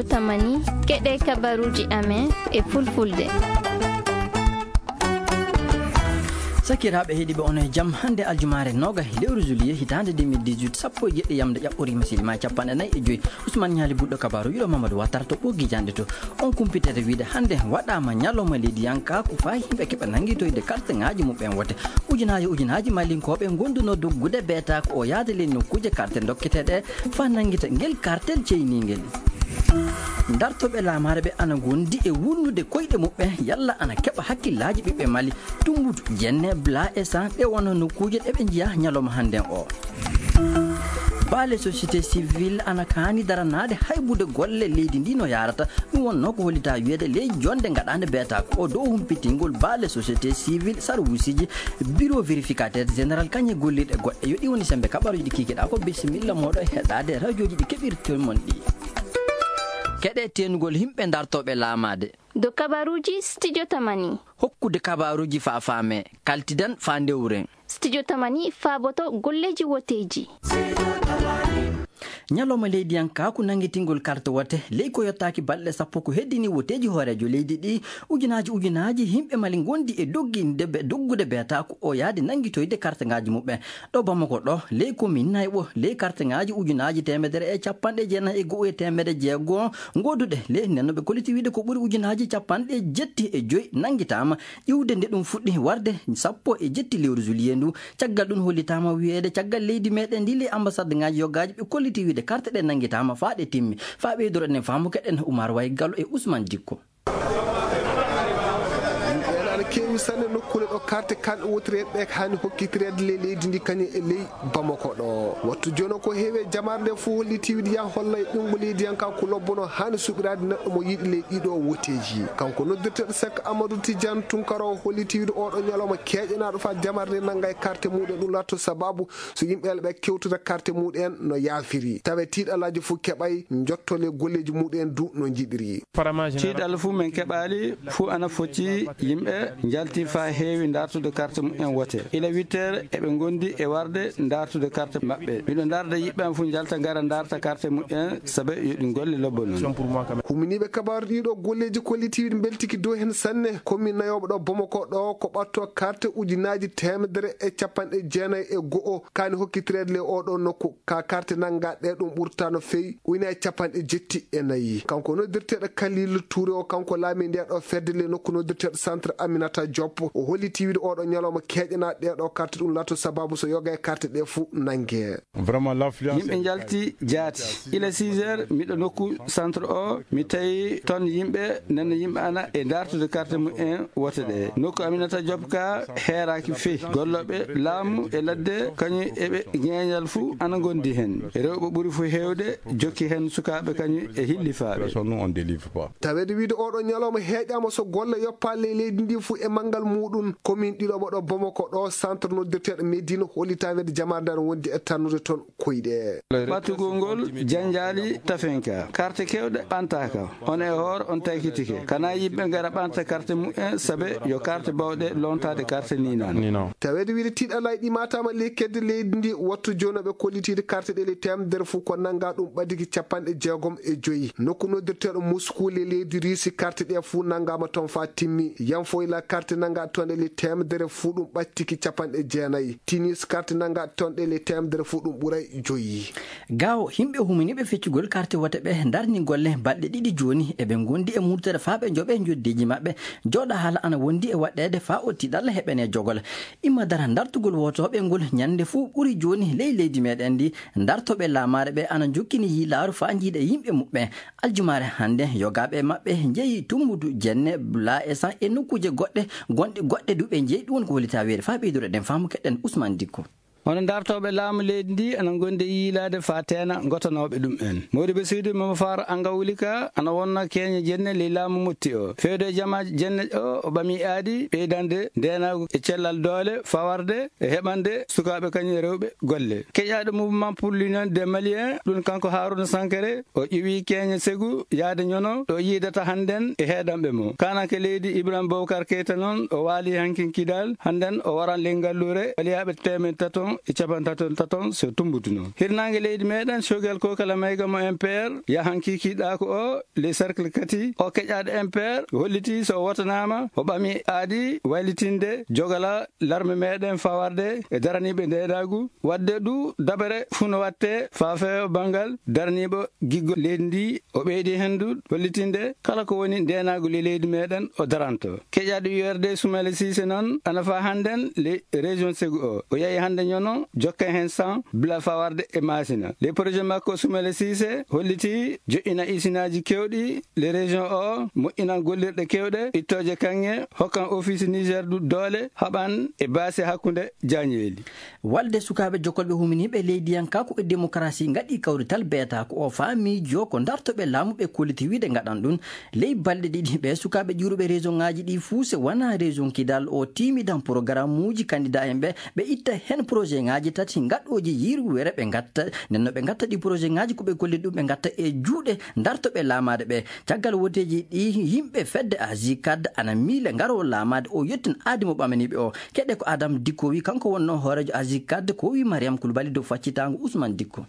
studio Tamani keɗe kabaruji amen e fulfulde. Sakiraaɓe heeɗiɓe onon e jaam hannde aljumare noga lewru juillet hitande 2018 sappo e jeɗɗi yamde ƴaɓɓori misilima 45 Ousmane Ñaali Buɗɗo kabaru yiɗo Mamadou Wattara to ɓoggi jande to on kumpitete wiide hannde waɗama ñalawma leydi yankaku fa yimɓe keɓa nanguitoyde carte ŋaji muɓen wote ujunaji malinkoɓe gonduno doggude beetako o yaade ley nokkuje carte dokketeɗe fa nanguita ngel cartel ceyniguel dartoɓe laamare ɓe ana gondi e wurnude koyɗe muɓɓe yalla ana keɓa hakkillaji ɓiɓɓe Mali Tumbutu Jenne Bla e San ɗe wona nokkuje ɗeɓe jiya ñalawma hannden o baale société civile ana kaani daranade haybude golle leydi ndi no yarata ɗum wonno ko hollita wiyeede ley jonde gaɗande beetako o dow humpitingol baale société civile sarwusiji bureau vérificateur général kañe gollirɗe goɗɗe yo ɗi woni sembe kaɓaruji ɗi kikiɗa ko bisimilla moɗo e heɗade radioji ɗi keɓirtomon ɗi keɗe tenugol himɓe dartoɓe laamade do kabaruji studio Tamani hokkude kabaruji fa faame kaltidan fa ndewren studio Tamani faaboto golleji woteji ñalawma leydi yankaku nanguitingol carte wote ley ko yettaki balɗe sappo ko heddini woteji hoorejo leydi ɗi ujunaji himɓe Mali gondi e doggude beetako o yaade nanguitoyde carte ngaji muɓɓe ɗo Bamako ɗo ley commune Nayɓo ley carte ngaji ujunaji 190 e 160 goduɗe ley nennoɓe koliti wiide ko ɓuuri ujunaji 75 nanguitama iwde nde ɗum fuɗɗi warde 17 lewru juillet ndu caggal ɗum hollitama wiyeede caggal leydi meɗen ndi ley ambassade ngaji yoggaji ɓe kolliti wiide carte ɗe nanguitama fa ɗe timmi fa ɓeydoro enen faamu keɗen Oumar Way Gallo e Ousmane Dikko kewi sanne nokkure ɗo carte kanɗe wotireɓe hani hokkitirede ley leydi ndi kañum e ley Bamako ɗo wattu joni ko heewe jamare nde fo holliti wiide ya holla e ɗumgo leydi yankaku lobbono hani suɓirade neɗɗo mo yiiɗi ley ɗiɗo woteji kanko noddirteɗo Seck Amadou Tidiane Tunkara holliti wiide oɗo ñalawma keƴanaɗo fa jamare nde nangga e carte muɗum ɗum latto sababu so yimɓeɓe ɓe kewtude carte muɗen no yafiri tawa tiiɗalaji fo keɓay jottole golleji muɗen du no jiɗiri tiiɗal fuu min keɓali fuu ana focci yimɓe jalti fa heewi dartude carte mumen wote ila 8 heures eɓe gondi e warde dartude carte mabɓe miɗo darda yiɓɓen fo jalta gara darta carte mumen saabu yoɗi golle lobbo noon huminiɓe kabaru ɗiɗo golleji kollitiɗi beltiki dow hen sanne commune nayoɓe ɗo Bamako ɗo ko ɓatto carte ujunaji 190 kani hokkitirede le oɗo nokku ka carte nanggaɗe ɗum ɓurta no fewi ujuna 74 kanko noddirteɗo Khalilou Touré o kanko laami nde ɗo fedde le nokku noddirteɗo centre Aminata Diop o holliti wiide oɗo ñalawma keƴanaɗe ɗeɗo carte ɗum latto sababu so yoga e carte ɗe fou nangue yimɓe jalti jaati ila 6 heures miɗo nokku centre o mi tawi toon yimɓe nana yimɓe ana e dartude carte mumen wote ɗe nokku Aminata Diop ka heeraki feyi golloɓe laamu e ladde kañum eɓe ñeñal fou ana gondi hen rewɓe ɓuuri fo hewde jokki hen sukaɓe kañum e hillifaɓe tawede wiide oɗo ñalawma heeƴama so golle yoppale leydi ndi fou e manggal muɗum commune ɗiɗoɓo ɗo Bamako ɗo centre noddirteɗo Médine hollitawede jamare nde wondi e tannude toon koyɗe ɓattugol ngol janjali tafenka carte kewɗe ɓantaka on e hoore on taykitike kana yimɓe gara ɓanta carte mumen saabe yo carte bawɗe lontade carte ni nan tawede wiide tiiɗalay ɗi matama ley kedde leydi ndi wattu jonoɓe kollitide carte ɗe le temedere fou ko nangga ɗum ɓadiki 65 nokku noddirteɗo Mouskouli leydi Risi carte ɗe fou nanggama toon fa timmi yanfoyla carte nangga tonɗe le temedere fou ɗum ɓattiki 90 Tunis carte nangga tonɗe le temedere fou ɗum ɓuuray 5 gawo himɓe huminiɓe feccugol carte wote ɓe darni golle balɗe ɗiɗi joni eɓe gondi e murtere fa ɓe jooɓe joddeji mabɓe joɗa haala ana wondi e waɗɗede fa o tiɗalla heɓene jogol imma dara dartugol wotoɓe ngol ñande fuu ɓuuri joni ley leydi meɗen ndi dartoɓe laamare ɓe ana jokkini yiilaaru fa jiiɗa yimɓe muɓɓe aljumare hande yogaɓe mabɓe jeeyi Tumbutu Jenne Bla e San e nokkuje goɗɗe duɓe jeeyi ɗum woni ko hollita weede fa ɓeydoro ɗen faamu keɗen Ousmane Dikko hono dartoɓe laamu leydi ndi ana gonde yiilade fa teena gotanoɓe ɗum en Modibo Seydou Mama Faro Angawulika ana wonna keñe jenne ley laamu motti o fewde jamaji jenne o ɓami aadi ɓeydande ndenago e cellal doole fawarde e heɓande sukaɓe kañum e rewɓe golle keƴaɗo mouvement pour l'union des Maliens ɗum kanko Harouna Sankare o ƴiwi keñe Ségou yaade ñono ɗo yiidata hannden e heeɗanɓe mo kanake leydi Ibrahima Boubacar Keita noon o waali hankin kidal hannden o waran ley ngallure waliyaɓe temen taton 133 so tumbutuno hirnange leydi meɗen sogel ko kala mayga mo MPR yahan kikiɗako o les cercle kati o keƴaɗo MPR holliti so wotanama o ɓami aadi waylitinde jogala larme meɗen fawarde e daraniɓe ndenagu wadde ɗu dabare funo watte faafewo bangal daraniɓe giggo leydi ndi o ɓeydi hendu hollitinde kala ko woni ndenagu le leydi meɗen o daranto keƴaɗo URD Soumaïla Cissé noon ana fa hannden le région Ségou o yeehi hannde ñono jokka hen 100 bila fawarde e masina les projet makko Soumaïla Cissé holliti joƴƴina isinaji kewɗi les région o moƴƴinan gollirɗe kewɗe ittoje kanŋe hokkan office Niger du doole haɓan e baasi hakkude jañeeli walde sukaɓe jokkolɓe huminiɓe leydiyankaku e démocratie gaɗi kawrital beeta ko o faamijo ko dartoɓe laamuɓe kolliti wiide gaɗan ɗum ley balɗe ɗiɗi ɓe sukaɓe ƴuruɓe région ngaji ɗi fuu se wona région Kidal o timidan programme uji candidat en ɓe itta hen projet ngaji tati gaɗoji yirwere ɓe gatta nenno ɓe gatta ɗi projet ngaji koɓe golli ɗum ɓe gatta e juuɗe dartoɓe laamade ɓe caggal woteji ɗi yimɓe fedde AGICAD ana miile ngaro laamade o yettin aadi mo ɓamaniɓe o keɗe ko Adam Dicko wi kanko wonno hoorejo AGICAD ko wi Mariam Koulibaly dow faccitango Ousmane Dicko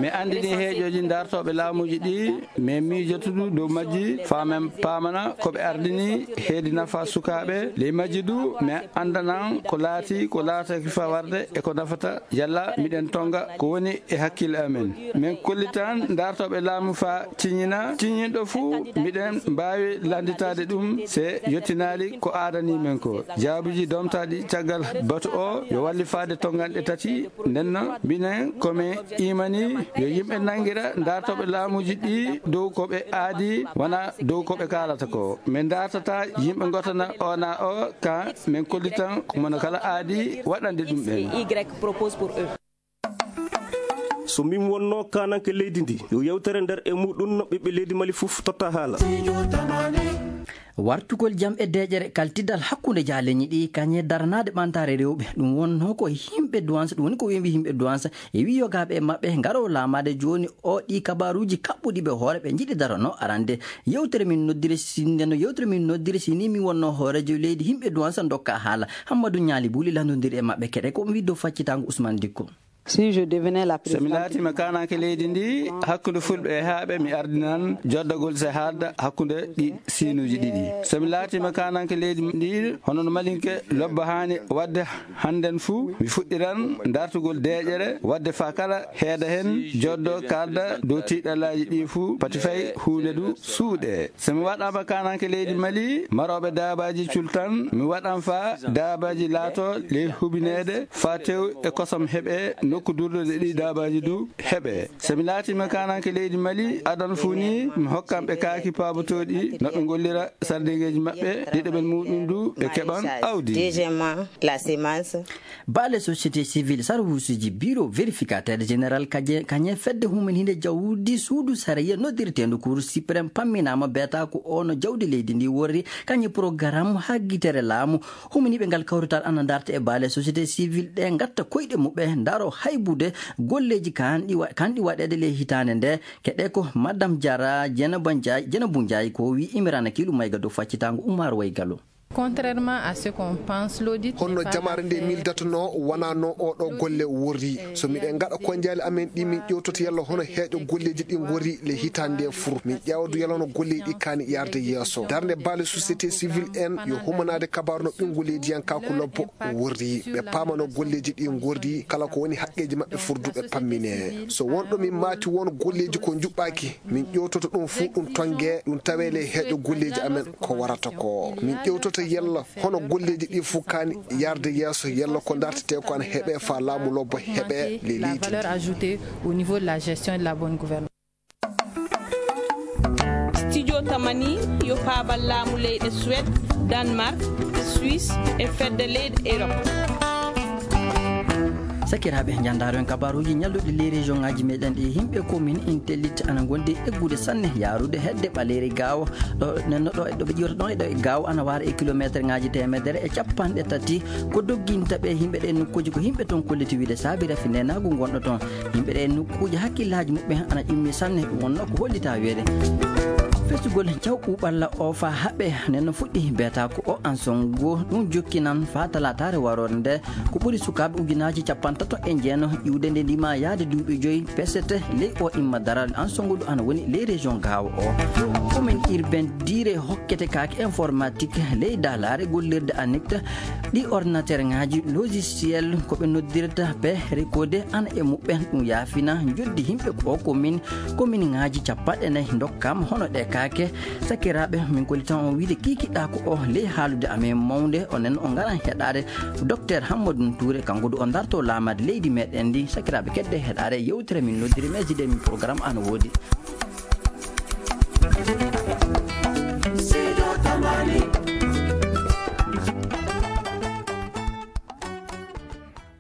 mi andini heeƴoji dartoɓe laamuji ɗi min miijotudu dow majji famen pamana koɓe ardini heedi nafa sukaɓe ley majji du mi andanan ko laati ko laataki fawarde e ko nafata yalla miɗen tonga ko woni e hakkille amen min kollitan dartoɓe laamu fa ciññinɗo fuu miɗen mbawi landitade ɗum se yettinali ko adani men ko jaabuji domtaɗi caggal batu o yo walli faade tonganɗe tati ndenno minen komin imani yo yimɓe nangira dartoɓe laamuji ɗi dow koɓe aadi wona dow koɓe kalata ko min dartata yimɓe gotana ona o ka min kollitan komono kala aadi waɗande ɗum ɓen so min wonno kananke leydi ndi yo yewtere nder e muɗum no ɓiɓɓe leydi Mali fof totta haala wartugol jam e deƴere kaltidal hakkude jaaleñi ɗi kañe daranade ɓantare rewɓe ɗum wonno ko yimɓe douance ɗum woni ko wimɓe yimɓe douance e wi yogaɓe e mabɓe ngaro laamade joni o ɗi kabaruji kaɓɓuɗiɓe hoore ɓe jiiɗi darano arande yewtere min noddire sini mi wonno hoorejo leydi yimɓe douance dokka haala Hammadou Ñaali Buuli landodiri e mabɓe keɗe ko wi dow faccitango Ousmane Dicko si je devenais la présidente somi laatima kanake leydi ndi hakkude fulɓe e haaɓe mi ardinan joddagol se haalda hakkude ɗi sinuji ɗiɗi somi laatima kanake leydi ndi hono no malinke lobba hani wadde hannden fuu mi fuɗɗiran dartugol deƴere wadde fa kala heeda hen joddo kalda dow tiɗalaji ɗi fuu pati fay huude du suuɗe somi waɗama kanake leydi Mali maroɓe daabaji cultan mi waɗan fa daabaji laato ley hubinede fa tew e kosam heeɓe nokku durɗode ɗi daabaji du heeɓe somi laatima kananke leydi Mali adan funi mi hokkam ɓe kaaki paabotoɗi no ɓe gollira sardingueji maɓɓe ɗiɗoɓen muɗum du ɓe keɓan awdi deuxièmement la semence baale société civile sarwusuji bureau vérificateur général kañe fedde humen hinde jawdi suudu sariya noddirtendu cour suprême pamminama beeta ko ono jawdi leydi ndi worri kañe programme haggitere laamu humaniɓe ngal kawrital ana darta e baale société civile ɗe gatta koyɗe muɓe daro haybude golleji kanɗi waɗede ley hitande nde keɗe ko madame Diara Dieynabou Ndiaye ko wi Imrana Kilou Mayga dow faccitango Oumar Waygallo. Contrairement à ce qu'on pense, l'audit honno jamare nde mildatono wona no oɗo golle worri so miɗen gaɗa konjali amen ɗi min ƴewtoto yalla hono heeƴo golleji ɗi gori le hitande nde fur min ƴewdu yalla no golleji ɗi kani yarde yeeso darde baale société civile en yo humanade kabaru no ɓinguleji yankaku lobbo worri ɓe pamano golleji ɗi gordi kala ko woni haqqeji mabɓe furduɓe pammine so wonɗo min maati won golleji ko juɓɓaki min ƴewtoto ɗum fu ɗum tongue ɗum tawe le heeƴo golleji amen ko warata ko min ƴewtoto yalla hono golleji ɗi fof kani yarde yeeso yalla ko dartete ko an heeɓe fa laamu lobbo heeɓe les leydi valeur ajoutée au niveau de la gestion et de la bonne gouvernance. Studio Tamani yo paabal laamu leyɗe Suède, Danemark, Suisse e fedde leyɗe Europe. sakiraɓe jandaro en kabaruji ñalluɗe les région ngaji meɗen ɗi yimɓe commune intellite ana gonde eggude sanne yarude hedde ɓaleri gawa ɗo nenno ɗo ɗoɓe ƴiwata ɗon eɗo e gawa ana wara e kilométre ngaji temedere e capanɗe tati ko dogguintaɓe yimɓe ɗe nokkuji ko yimɓe toon kolliti wiide saabi rafi nenago gonɗo toon yimɓe ɗe nokkuji hakkillaji muɓɓe ana ƴimmi sanne ɗum wonno ko hollita weede fesugol cawɓu ɓalla o fa haɓe nen fuɗɗi beeta ko o ansongo ɗum jokkinan fa talatare warore nde ko ɓuri sukaɓe ujunaji 39 iwde nde ndima yaade duuɓi 5 pesete ley o imma daral ansongo ɗo ana woni ley région gawa o commune urbaine dire hokkete kake informatique ley dalare gollirde annict ɗi ordinateur ngaji logiciel koɓe noddirta be recodé ana e muɓɓen ɗum yaafina joddi himɓe ko commune ngaji 40 dokkama hono ɗe kake sakiraɓe min kolitan on wiide kikiɗa ko o ley haalude amen mawde onen o garan heɗade docteur Hammadou Touré kanko du o darto lamade leydi meɗen ndi sakiraɓe kedde heɗade yewtere min noddiri meside min programme ana woodi